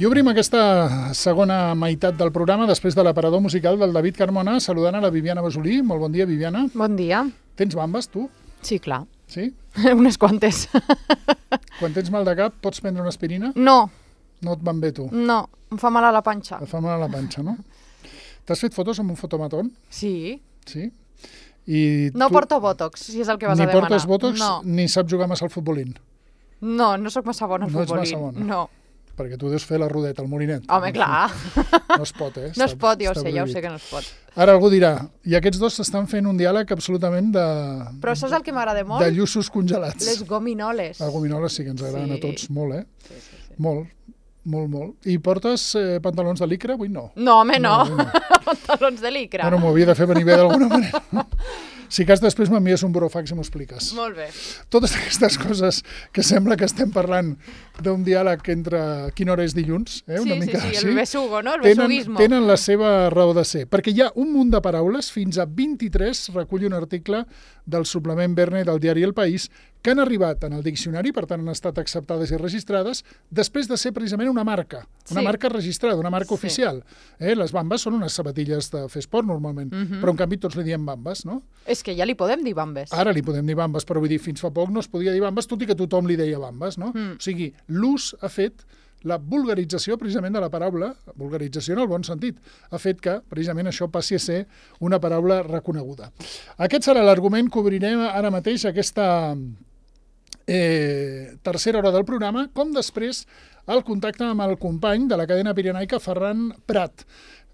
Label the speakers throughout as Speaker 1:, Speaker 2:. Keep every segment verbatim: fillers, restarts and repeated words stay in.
Speaker 1: I obrim aquesta segona meitat del programa després de l'aparador musical del David Carmona, saludant a la Viviana Basolí. Molt bon dia, Viviana.
Speaker 2: Bon dia.
Speaker 1: Tens bambes, tu?
Speaker 2: Sí, clar.
Speaker 1: Sí?
Speaker 2: Unes quantes.
Speaker 1: Quan tens mal de cap, pots prendre una aspirina?
Speaker 2: No.
Speaker 1: No et van bé, tu?
Speaker 2: No, em fa mal a la panxa.
Speaker 1: Et fa mal a la panxa, no? T'has fet fotos amb un fotomatón?
Speaker 2: Sí.
Speaker 1: Sí? I
Speaker 2: no
Speaker 1: tu
Speaker 2: porto bòtox, si és el que vas
Speaker 1: ni
Speaker 2: a demanar.
Speaker 1: Ni portes bòtox,
Speaker 2: no.
Speaker 1: Ni saps jugar massa al futbolín?
Speaker 2: No, no sóc massa bona al
Speaker 1: no
Speaker 2: futbolín.
Speaker 1: No ets massa bona?
Speaker 2: No.
Speaker 1: Perquè tu deus fer la rodeta, el molinet.
Speaker 2: Home, clar.
Speaker 1: No es pot, eh?
Speaker 2: No es pot, ja ho sé, ja ho sé que no es pot.
Speaker 1: Ara algú dirà, i aquests dos s'estan fent un diàleg absolutament de...
Speaker 2: Però això és el que m'agrada molt?
Speaker 1: De lluços congelats.
Speaker 2: Les gominoles.
Speaker 1: Les gominoles sí que ens agraden
Speaker 2: sí.
Speaker 1: a tots molt, eh?
Speaker 2: Sí, sí, sí.
Speaker 1: Molt, molt, molt. I portes eh, pantalons de licra? Avui no.
Speaker 2: No, home, no.
Speaker 1: no, no.
Speaker 2: Pantalons de licra.
Speaker 1: Bueno, m'ho havia de fer venir bé d'alguna manera. Si cas després m'envies un burofax i m'ho expliques.
Speaker 2: Molt bé.
Speaker 1: Totes aquestes coses que sembla que estem parlant d'un diàleg entre quina hora és dilluns, eh? Una
Speaker 2: sí,
Speaker 1: mica
Speaker 2: sí, sí,
Speaker 1: així,
Speaker 2: el besugo, no? El
Speaker 1: tenen,
Speaker 2: besuguismo.
Speaker 1: Tenen la seva raó de ser, perquè hi ha un munt de paraules, fins a vint-i-tres, recull un article del suplement Verne del diari El País, que han arribat en el diccionari, per tant han estat acceptades i registrades, després de ser precisament una marca, una
Speaker 2: sí.
Speaker 1: marca registrada, una marca
Speaker 2: sí.
Speaker 1: oficial. Eh? Les bambes són unes sabatilles de fer esport normalment,
Speaker 2: uh -huh.
Speaker 1: però en canvi tots li diem bambes, no?
Speaker 2: És que ja li podem dir bambes.
Speaker 1: Ara li podem dir bambes, però vull dir, fins fa poc no es podia dir bambes, tot i que tothom li deia bambes, no? Mm. O sigui, l'ús ha fet la vulgarització precisament de la paraula, vulgarització en el bon sentit, ha fet que precisament això passi a ser una paraula reconeguda. Aquest serà l'argument que obrirem ara mateix aquesta eh, tercera hora del programa, com després el contacte amb el company de la cadena pirenaica, Ferran Prat,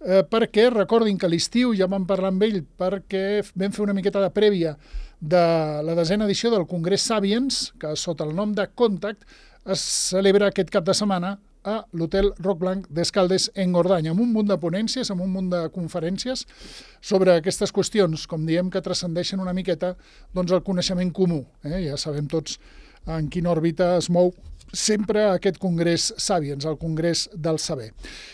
Speaker 1: eh, perquè recordin que a l'estiu ja vam parlar amb ell perquè vam fer una miqueta de prèvia de la desena edició del Congrés Sapiens, que sota el nom de Contact es celebra aquest cap de setmana a l'Hotel Roc Blanc d'Escaldes en Gordany, amb un munt de ponències, amb un munt de conferències sobre aquestes qüestions, com diem, que transcendeixen una miqueta doncs, el coneixement comú. Eh? Ja sabem tots en quina òrbita es mou sempre aquest Congrés Sapiens, el Congrés del Saber.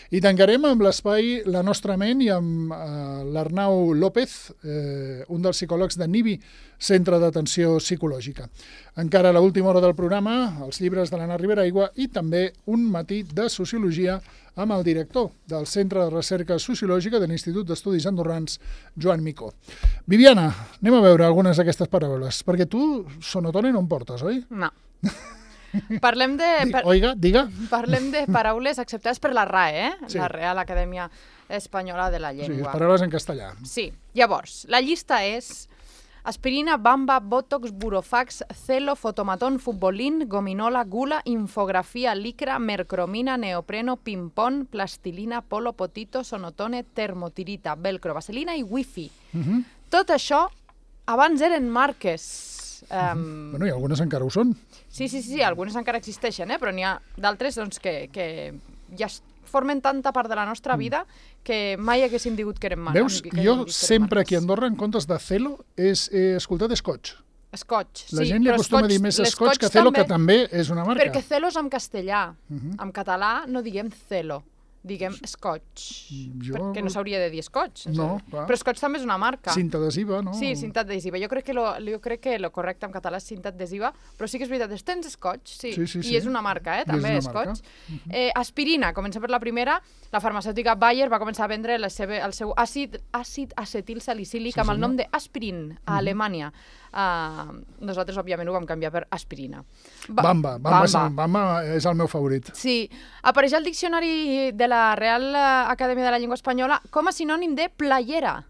Speaker 1: I tancarem amb l'espai La Nostra Ment i amb eh, l'Arnau López, eh, un dels psicòlegs de NIBI, Centre d'Atenció Psicològica. Encara a l'última hora del programa, els llibres de l'Anna Riberaigua i també un matí de Sociologia amb el director del Centre de Recerca Sociològica de l'Institut d'Estudis Andorrans, Joan Micó. Viviana, anem a veure algunes d'aquestes paraules, perquè tu sonotone no em portes, oi?
Speaker 2: No. Parlem de...
Speaker 1: Per... Oiga, diga.
Speaker 2: Parlem de paraules acceptades per la R A E, eh?
Speaker 1: Sí.
Speaker 2: La Real Acadèmia Espanyola de la Llengua.
Speaker 1: Sí, paraules en castellà.
Speaker 2: Sí. Llavors, la llista és aspirina, bamba, botox, burofax, celo, fotomatón, futbolín, gominola, gula, infografia, licra, mercromina, neopreno, ping-pong, plastilina, polo, potito, sonotone, termotirita, velcro, vaselina i wifi. Uh -huh. Tot això abans eren marques. Um...
Speaker 1: Bueno, i algunes encara ho són.
Speaker 2: Sí, sí, sí, algunes encara existeixen, eh? Però n'hi ha d'altres doncs, que, que ja formen tanta part de la nostra vida que mai haguéssim digut que eren marques.
Speaker 1: Veus, jo sempre aquí a Andorra, en comptes de celo, és, he escoltat Scotch.
Speaker 2: Scotch,
Speaker 1: La
Speaker 2: sí.
Speaker 1: gent li acostuma a dir més Scotch que celo, que també és una marca.
Speaker 2: Perquè celo és en castellà.
Speaker 1: Uh -huh.
Speaker 2: En català no diguem celo. Diguem Scotch, jo... perquè no s'hauria de dir Scotch.
Speaker 1: No, clar.
Speaker 2: Però Scotch també és una marca.
Speaker 1: Cinta adhesiva, no?
Speaker 2: Sí, cinta adhesiva. Jo crec que lo, jo crec que lo correcte en català és cinta adhesiva, però sí que és veritat, tens Scotch, sí.
Speaker 1: Sí, sí, sí.
Speaker 2: I és una marca, eh, també,
Speaker 1: és
Speaker 2: Scotch. Uh -huh. eh, aspirina, comença per la primera. La farmacèutica Bayer va començar a vendre la seva, el seu àcid, àcid acetil salicílic sí, amb el nom d'Aspirin a uh -huh. Alemanya. Uh, nosaltres, òbviament, ho vam canviar per aspirina.
Speaker 1: Ba Bamba. Bamba, Bamba. És, Bamba és el meu favorit.
Speaker 2: Sí. Apareix al diccionari de la Real Acadèmia de la Llengua Espanyola com a sinònim de playera.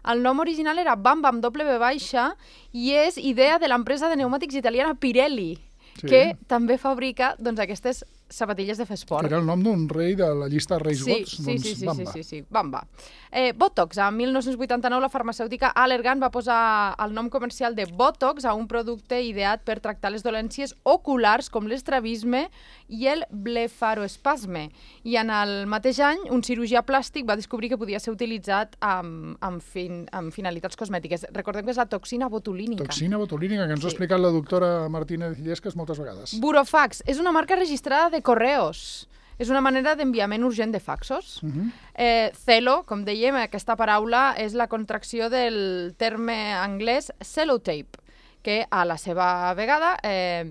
Speaker 2: El nom original era Bamba amb doble B baixa i és idea de l'empresa de pneumàtics italiana Pirelli, sí. que també fabrica doncs, aquestes sabatilles de fer esport.
Speaker 1: Que era el nom d'un rei de la llista de reis
Speaker 2: sí,
Speaker 1: gots,
Speaker 2: sí,
Speaker 1: doncs
Speaker 2: sí, sí,
Speaker 1: Bamba.
Speaker 2: Sí, sí, sí, Bamba. Eh, Botox, en mil nou-cents vuitanta-nou la farmacèutica Allergan va posar el nom comercial de Botox a un producte ideat per tractar les dolències oculars com l'estrabisme i el blefaroespasme. I en el mateix any, un cirurgià plàstic va descobrir que podia ser utilitzat amb, amb, fin, amb finalitats cosmètiques. Recordem que és la toxina botulínica.
Speaker 1: Toxina botulínica, que ens sí. ha explicat la doctora Martínez Illescas moltes vegades.
Speaker 2: Burofax és una marca registrada de correos. És una manera d'enviament urgent de faxos. Uh -huh. eh, celo, com dèiem, aquesta paraula és la contracció del terme anglès cellotape, que a la seva vegada, eh,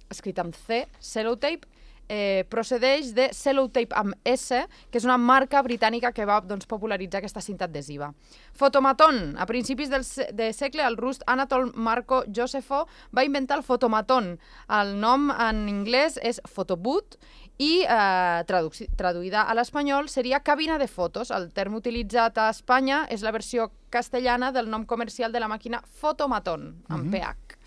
Speaker 2: escrit amb C, cellotape, eh, procedeix de Cellotape amb S, que és una marca britànica que va doncs, popularitzar aquesta cinta adhesiva. Fotomaton. A principis del se de segle, el rus Anatol Marco Josefo va inventar el fotomaton. El nom en anglès és photoboot i eh, tradu traduïda a l'espanyol seria cabina de fotos. El terme utilitzat a Espanya és la versió castellana del nom comercial de la màquina Fotomaton, amb P H.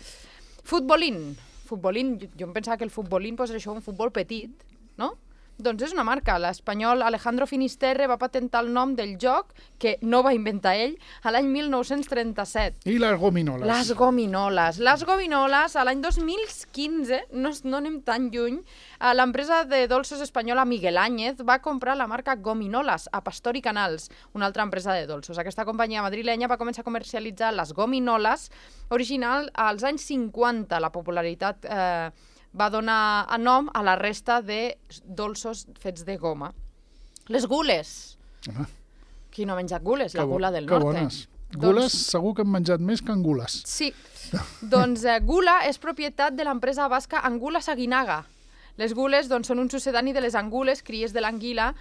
Speaker 2: Futbolín. Futbolín, jo, jo em pensava que el futbolín pues, és això, un futbol petit, no? Doncs és una marca. L'espanyol Alejandro Finisterre va patentar el nom del joc, que no va inventar ell, a l'any mil nou-cents trenta-set.
Speaker 1: I les gominoles.
Speaker 2: Les gominoles. Les gominoles, a l'any dos mil quinze, no, no anem tan lluny, l'empresa de dolços espanyola Miguel Áñez va comprar la marca Gominolas a Pastor i Canals, una altra empresa de dolços. Aquesta companyia madrilenya va començar a comercialitzar les gominoles original als anys cinquanta. La popularitat eh, va donar a nom a la resta de dolços fets de goma. Les gules.
Speaker 1: Home.
Speaker 2: Qui no ha menjat gules? La
Speaker 1: Que bo-
Speaker 2: gula del
Speaker 1: que
Speaker 2: norte.
Speaker 1: bones. Gules, segur que hem menjat més que angules.
Speaker 2: Sí. Doncs eh, Gula és propietat de l'empresa basca Angulas Aguinaga. Les gules doncs, són un succedani de les angules, cries de l'anguila,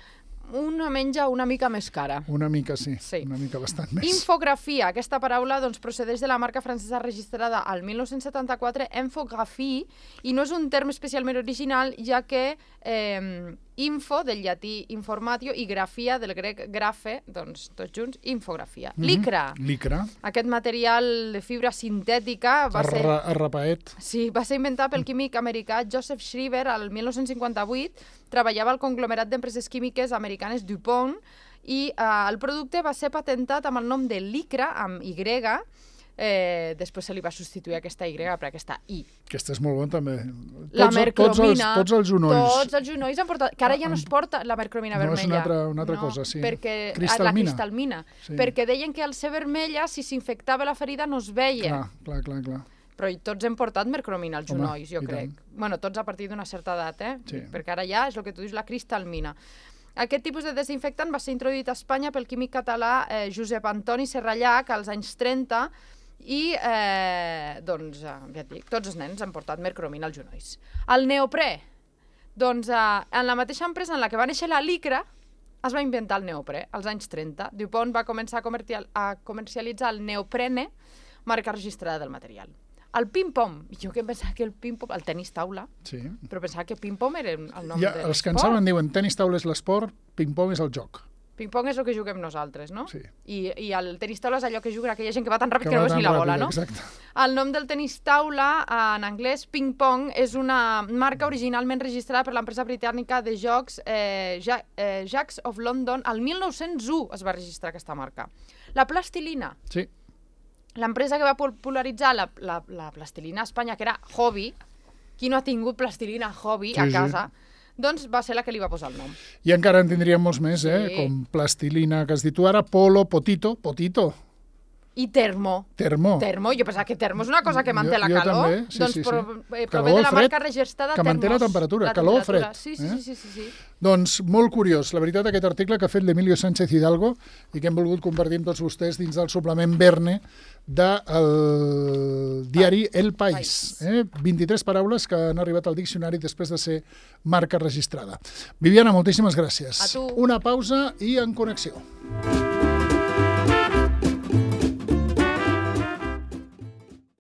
Speaker 2: una menja una mica més cara.
Speaker 1: Una mica, sí.
Speaker 2: Sí.
Speaker 1: Una mica bastant més.
Speaker 2: Infografia. Aquesta paraula doncs, procedeix de la marca francesa registrada al mil nou-cents setanta-quatre, infographie, i no és un terme especialment original, ja que eh, info, del llatí informatio, i grafia, del grec grafe, doncs tots junts, infografia.
Speaker 1: Mhm.
Speaker 2: Licra.
Speaker 1: Licra.
Speaker 2: Aquest material de fibra sintètica va ser...
Speaker 1: Arra, arrapaet.
Speaker 2: Sí, va ser inventat pel químic americà Joseph Shriver al mil nou-cents cinquanta-vuit. Treballava al conglomerat d'empreses químiques americanes DuPont i eh, el producte va ser patentat amb el nom de Licra, amb Y. Eh, després se li va substituir aquesta Y per aquesta I.
Speaker 1: Aquesta és molt bona, també.
Speaker 2: La
Speaker 1: Tots,
Speaker 2: mercromina.
Speaker 1: tots, els, tots els genolls.
Speaker 2: Tots els genolls han portat... Que ara ja no es porta la mercromina
Speaker 1: No,
Speaker 2: vermella.
Speaker 1: és una altra, una altra cosa, sí.
Speaker 2: Perquè,
Speaker 1: Cristalmina.
Speaker 2: La cristalmina.
Speaker 1: Sí.
Speaker 2: Perquè deien que al ser vermella, si s'infectava la ferida, no es veia.
Speaker 1: Clar, clar, clar, clar.
Speaker 2: Però tots hem portat mercromina als
Speaker 1: Home,
Speaker 2: genolls, jo
Speaker 1: i
Speaker 2: crec.
Speaker 1: tant.
Speaker 2: Bueno, tots a partir d'una certa edat, eh?
Speaker 1: Sí.
Speaker 2: Perquè ara ja és el que tu dius, la cristalmina. Aquest tipus de desinfectant va ser introduït a Espanya pel químic català eh, Josep Antoni Serrallach als anys trenta i, eh, doncs, eh, ja et dic, tots els nens han portat mercromina als genolls. El neoprè. Doncs eh, en la mateixa empresa en la que va néixer la Licra, es va inventar el neoprè, als anys trenta. DuPont va començar a, comercial, a comercialitzar el neoprene, marca registrada del material. El ping-pong. Jo que em pensava que el ping-pong... El tenis taula.
Speaker 1: Sí.
Speaker 2: Però pensava que ping-pong era el nom
Speaker 1: Ja,
Speaker 2: de
Speaker 1: els que en
Speaker 2: l'esport.
Speaker 1: saben diuen tenis taula és l'esport, ping-pong és el joc.
Speaker 2: Ping-pong és el que juguem nosaltres, no?
Speaker 1: Sí.
Speaker 2: I, I el tenis taula és allò que juguen aquella gent que va tan ràpid que,
Speaker 1: va
Speaker 2: no veus
Speaker 1: tan
Speaker 2: ni la
Speaker 1: ràpid,
Speaker 2: bola, no?
Speaker 1: Exacte.
Speaker 2: El nom del tenis taula, en anglès, ping-pong, és una marca originalment registrada per l'empresa britànica de jocs eh, ja, eh, Jacks of London. El mil nou-cents u es va registrar aquesta marca. La plastilina.
Speaker 1: Sí.
Speaker 2: L'empresa que va popularitzar la, la, la plastilina a Espanya, que era Hobby, qui no ha tingut plastilina Hobby
Speaker 1: Sí,
Speaker 2: a
Speaker 1: sí.
Speaker 2: casa, doncs va ser la que li va posar el nom.
Speaker 1: I encara en tindríem molts més, eh?
Speaker 2: Sí.
Speaker 1: Com plastilina, que has dit tu ara, polo, potito, potito,
Speaker 2: I termo.
Speaker 1: termo.
Speaker 2: Termo, jo pensava que termo és una cosa que manté
Speaker 1: Jo-
Speaker 2: la
Speaker 1: jo
Speaker 2: calor.
Speaker 1: també, sí,
Speaker 2: doncs
Speaker 1: sí, sí.
Speaker 2: pro, eh,
Speaker 1: Calor,
Speaker 2: prové de la
Speaker 1: fred,
Speaker 2: marca registrada
Speaker 1: que manté la
Speaker 2: Termos.
Speaker 1: temperatura,
Speaker 2: La
Speaker 1: calor o
Speaker 2: temperatura.
Speaker 1: fred,
Speaker 2: Sí, sí,
Speaker 1: eh?
Speaker 2: sí, sí, sí, sí.
Speaker 1: Doncs molt curiós, la veritat, aquest article que ha fet l'Emilio Sánchez Hidalgo i que hem volgut compartir amb tots vostès dins del suplement Verne del diari El País. Eh? vint-i-tres paraules que han arribat al diccionari després de ser marca registrada. Viviana, moltíssimes gràcies.
Speaker 2: A tu.
Speaker 1: Una pausa i en connexió.